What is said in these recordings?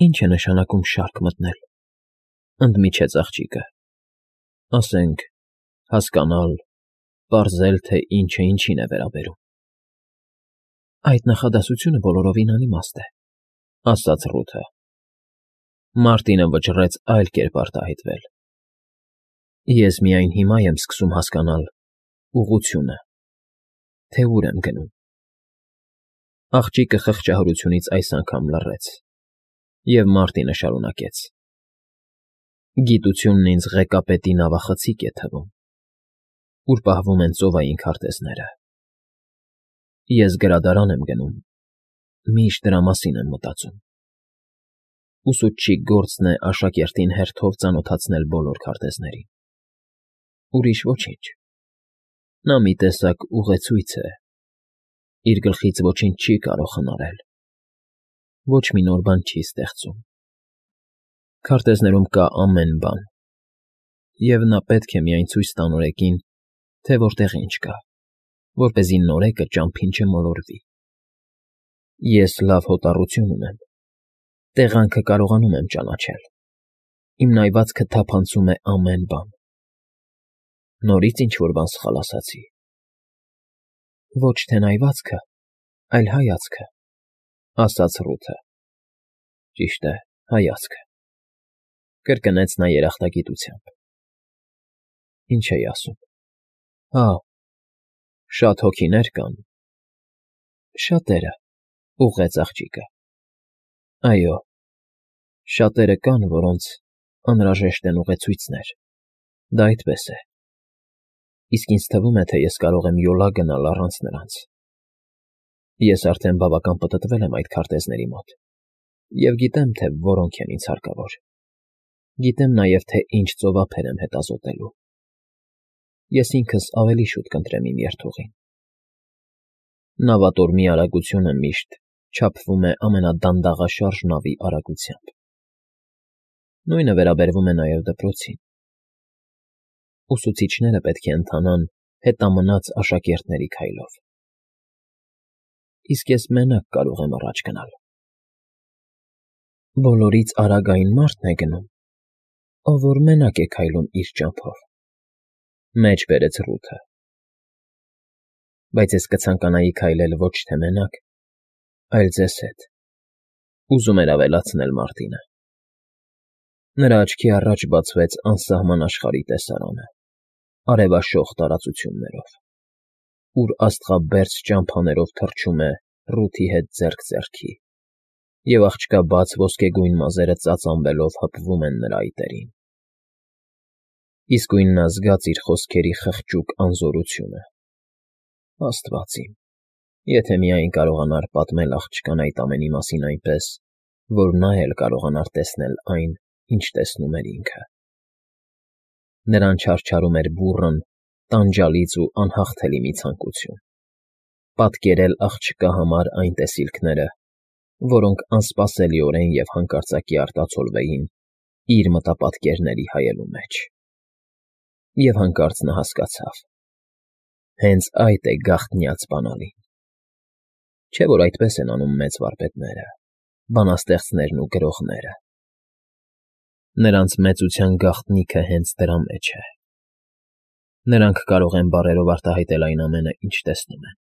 Ինչ է նշանակում շարք մտնել, ընդմիջեց աղջիկը, ասենք, հասկանալ, պարզել, թե ինչը ինչին է վերաբերում։ Այդ նախադասությունը բոլորովին անիմաստ է, ասաց Ռութը։ Մարտինը վճռեց այլ կերպ արտահայտվել։ Ես միայն հիմա եմ սկսում հասկանալ ուղղությունը, թե ուր եմ գնում։ Աղջիկը խղճահարությունից այս անգամ լռեց, և Մարտինը շարունակեց. Գիտությունն ինձ ղեկապետի նավախցիկ է թվում, ուր պահվում են ծովային քարտեզները։ Ես գրադարան եմ գնում, միշտ դրա մասին եմ մտածում։ Ուսուցչի գործն է աշակերտին հերթով ծանոթացնել բոլոր քարտեզներին։ Ուրիշ ոչինչ։ Նա մի տեսակ ուղեցույց է, իր գլխից ոչինչ չի կարող խնարել, ոչ մի նոր բան չի ստեղծում։ Քարտեզներում կա ամեն բան, և նա պետք է միայն ցույց տա նորեկին, թե որտեղ ինչ կա, որպեսզի նորեկը ճամփին չմոլորվի։ Ես լավ հոտառություն ունեմ, տեղանքը կարողանում եմ ճանաչել, իմ նայվածքը թափանցում է ամեն բան։ Նորից ինչ-որ բան սխալ ասացի։ Ոչ թե նայվածքը, այլ հայացքը, ասաց Ռութը։ Ճիշտ է, հայացքը, կրկնեց նա երախտագիտությամբ։ Ինչ էի ասում։ Հա, շատ հոգիներ կան։ Շատերը, ուղղեց աղջիկը։ Այո, շատերը կան, որոնց անհրաժեշտ են ուղեցույցներ, դա այդպես է։ Իսկ ինձ թվում է, թե ես կարող եմ յոլա գնալ առանց նրանց։ Ես արդեն բավական պտտվել եմ այդ քարտեզների մոտ, և գիտեմ, թե որոնք են ինձ հարկավոր։ Գիտեմ նաև, թե ինչ ծովափեր եմ հետազոտելու։ Ես ինքս ավելի շուտ կընտրեմ իմ երթուղին։ Նավատորմի արագությունը միշտ չափվում է ամենադանդաղաշարժ նավի արագությամբ։ Նույնը վերաբերվում է նաև դպրոցին։ Ուսուցիչները պետք է ընթանան հետամնաց աշակերտների քայլով։ Իսկ ես մենակ կարող եմ առաջ գնալ։ Բոլորից արագ այն մարդն է գնում, ով որ մենակ է քայլում իր ճամփով, մեջ բերեց Ռութը։ Բայց ես կցանկանայի քայլել ոչ թե մենակ, այլ ձեզ հետ, ուզում էր ավելացնել Մարտինը։ Նրա աչքի առաջ բացվեց անսահման աշխարհի տեսարանը, արևաշող տարածություններով, ուր աստղաբերձ ճամփաներով թռչում է Ռութի հետ ձեռք ձեռքի, և աղջկաբաց ոսկեգույն մազերը ծածանվելով հպվում են նրա այտերին։ Իսկույն նա զգաց իր խոսքերի խղճուկ անզորությունը։ Աստված իմ, եթե միայն կարողանար պատմել աղջկան այդ ամենի մասին այնպես, որ նա էլ կարողանար տեսնել այն, ինչ տեսնում էր ինքը։ Նրան չարչարում էր բուռն, տանջալից ու անհաղթելի մի ցանկություն՝ պատկերել աղջկա համար այն տեսիլքները, որոնք անսպասելիորեն և հանկարծակի արտացոլվեին իր մտապատկերների հայելու մեջ։ Եվ հանկարծ նա հասկացավ. հենց այդ է գաղտնյաց բանալին։ Չէ՞ որ այդպես են անում մեծ վարպետները, բանաստեղծներն ու գրողները։ Նրանց մեծության գաղտնիքը հենց դրա մեջ է։ Նրանք կարող են բառերով արտահայտել այն ամենը, ինչ տեսնում են,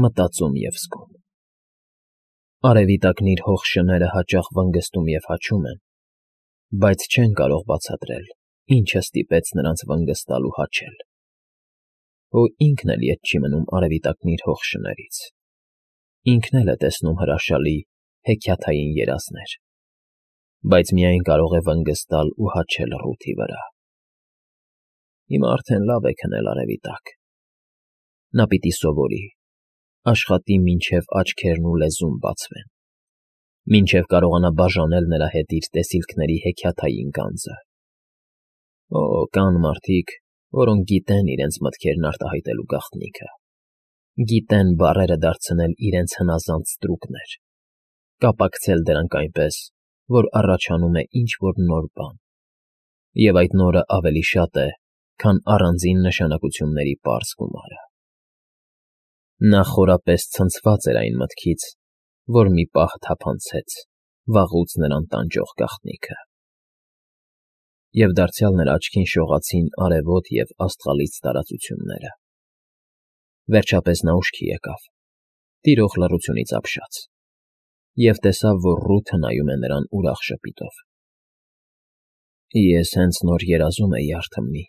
մտածում և զգում։ Արևի տակն իր հող շները հաճախ վնգստում և հաչում են, բայց չեն կարող բացատրել, ինչը ստիպեց նրանց վնգստալ ու հաչել։ Հո ինքն էլ ետ չի մնում արևի տակն իր հող շներից։ Ինքն էլ է տեսնում հրաշալի, հեքիաթային երազներ, բայց միայն կարող է վնգստալ ու հաչել Ռութի վրա։ Հիմա արդեն լավ է քնել արևի տակ։ Նա պիտի սովորի, աշխատի մինչև աչքերն ու լեզուն բացվեն, մինչև կարողանա բաժանել նրա հետ իր տեսիլքների հեքիաթային գանձը։ Օ, կան մարդիկ, որոնք գիտեն իրենց մտքերն արտահայտելու գաղտնիքը, գիտեն բառերը դարձնել իրենց հնազանդ ստրուկներ, կապակցել դրանք այնպես, որ առաջանում է ինչ-որ նոր բան, և այդ նորը ավելի շատ է, քան առանձին նշանակությունների պարզ գումարը։ Նա խորապես ցնցված էր այն մտքից, որ մի պահ թափանցեց, վաղուց նրան տանջող գաղտնիքը։ Եվ դարձյալ նրա աչքին շողացին արևոտ և աստղալից տարածությունները։ Վերջապես նա ուշքի եկավ, տիրող լռությունից ապշած, և տեսավ, որ Ռութը նայում է նրան ուրախ ժպիտով։ «Ես հենց նոր երազում էի, արթմնի,֊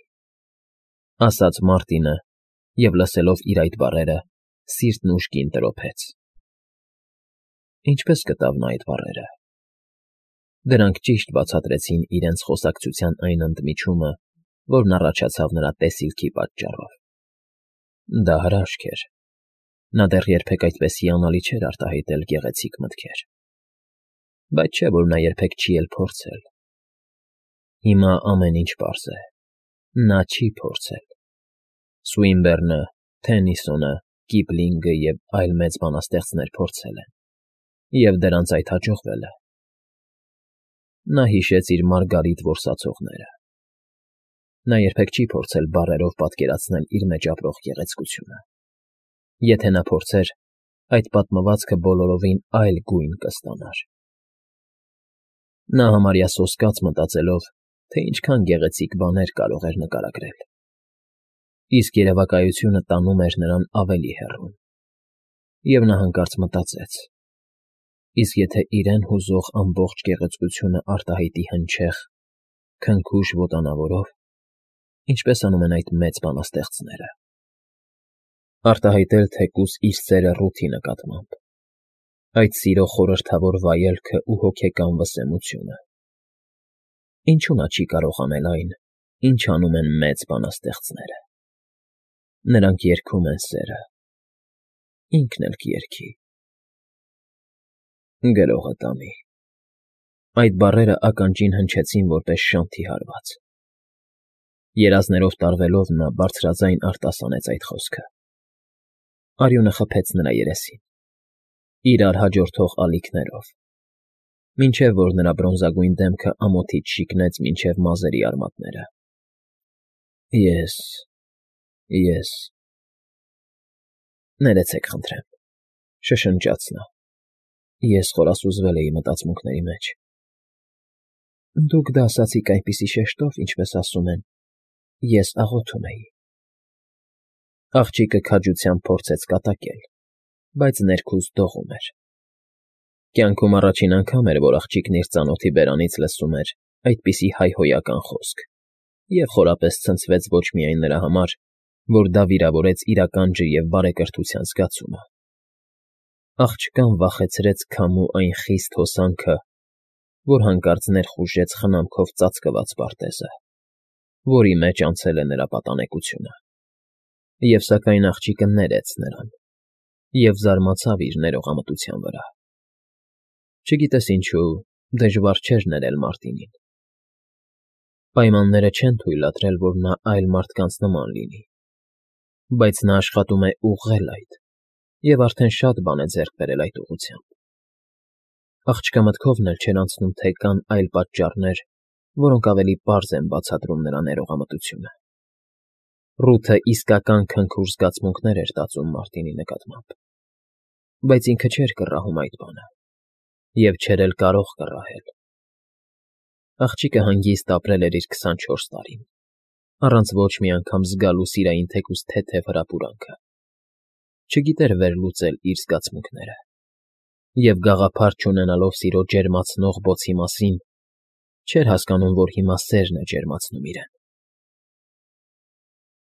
ասաց Մարտինը և, լսելով իր այդ բառերը, սիրտն ուժգին տրոփեց»։ Ինչպե՞ս գտավ նա այդ բառերը։ Դրանք ճիշտ բացատրեցին իրենց խոսակցության այն ընդմիջումը, որն առաջացավ նրա տեսիլքի պատճառով։ Դա հրաշք էր։ Նա դեռ երբեք այդպես հիանալի չէր արտահայտել գեղեցիկ մտքեր։ Բայց չէ՞ որ նա երբեք չի էլ փորձել։ Հիմա ամեն ինչ պարզ է. նա չի փորձել։ Սուինբեռնը, Թեննիսոնը, Կիպլինգը և այլ մեծ բանաստեղծներ փորձել են, և դրանց այդ հաջողվել է։ Նա հիշեց իր Մարգարիտ որսացողները։ Նա երբեք չի փորձել բառերով պատկերացնել իր մեջ ապրող գեղեցկությունը։ Եթե նա փորձեր, այդ պատմվածքը բոլորովին այլ գույն կստանար։ Նա համարյա սոսկաց մտածելով, թե ինչքան գեղեցիկ բաներ կարող էր նկարագրել։ Իսկ երևակայությունը տանում էր նրան ավելի հեռուն։ Եվ նա հանկարծ մտածեց. իսկ եթե իրեն հուզող ամբողջ գեղեցկությունը արտահայտի հնչեղ, քնքուշ ոտանավորով, ինչպես անում են այդ մեծ բանաստեղծները։ Արտահայտել թեկուզ իր սերը Ռութի նկատմամբ, այդ սիրո խորհրդավոր վայելքը ու հոգեկան վսեմությունը։ Ինչու նա չի կարող անել այն, ինչ անում են մեծ բանաստեղծները։ Նրանք երգում են սերը, ինքն էլ կերգի։ Գրողը տանի։ Այդ բառերը ականջին հնչեցին որպես շանթի հարված։ Երազներով տարվելով նա բարձրաձայն արտասանեց այդ խոսքը։ Արյունը խփեց նրա երեսին, իրար հաջորդող ալիքներով, մինչև որ նրա բրոնզագույն դեմքը ամոթից շիկնեց մինչև մազերի արմատները։ Ես… Ներեցեք խնդրեմ,֊ շշնջաց նա։ Ես խորասուզվել էի մտածմունքների մեջ։ Դուք դա ասացիք այնպիսի շեշտով, ինչպես ասում են, ես աղոթում էի։ Աղջիկը քաջությամբ փորձեց կատակել, բայց ներքուստ դողում էր։ Կյանքում առաջին անգամ էր, որ աղջիկն իր ծանոթի բերանից լսում էր այդպիսի հայհոյական խոսք և խորապես ցնցվեց ոչ միայն նրա համար, որ դա վիրավորեց իր ականջը և բարեկրթության զգացումը։ Աղջկան վախեցրեց քամու այն խիստ հոսանքը, որ հանկարծ ներխուժեց խնամքով ծածկված պարտեզը, որի մեջ անցել է նրա պատանեկությունը։ Եվ սակայն աղջիկը ներեց նրան և զարմացավ իր ներողամտության վրա։ Չգիտես ինչու, դժվար չէր ներել Մարտինին։ Պայմանները չեն թույլատրել, որ նա այլ մարդկանց նման լինի, բայց նա աշխատում է ուղղել այդ և արդեն շատ բան է ձեռք բերել այդ ուղղությամբ։ Աղջկա մտքովն էլ չէր անցնում, թե կան այլ պատճառներ, որոնք ավելի պարզ են բացատրում նրա ներողամտությունը։ Ռութը իսկական քնքուշ զգացմունքներ էր տածում Մարտինի նկատմամբ, բայց ինքը չէր կռահում այդ բանը և չէր էլ կարող կռահել։ Աղջիկը հանգիստ ապրել էր իր 24 տարին, առանց ոչ մի անգամ զգալու սիրային թեկուզ թեթև հրապուրանքը։ Չգիտեր վերլուծել իր զգացմունքները և գաղափար չունենալով սիրո ջերմացնող բոցի մասին, չէր հասկանում, որ հիմա սերն է ջերմացնում իրեն։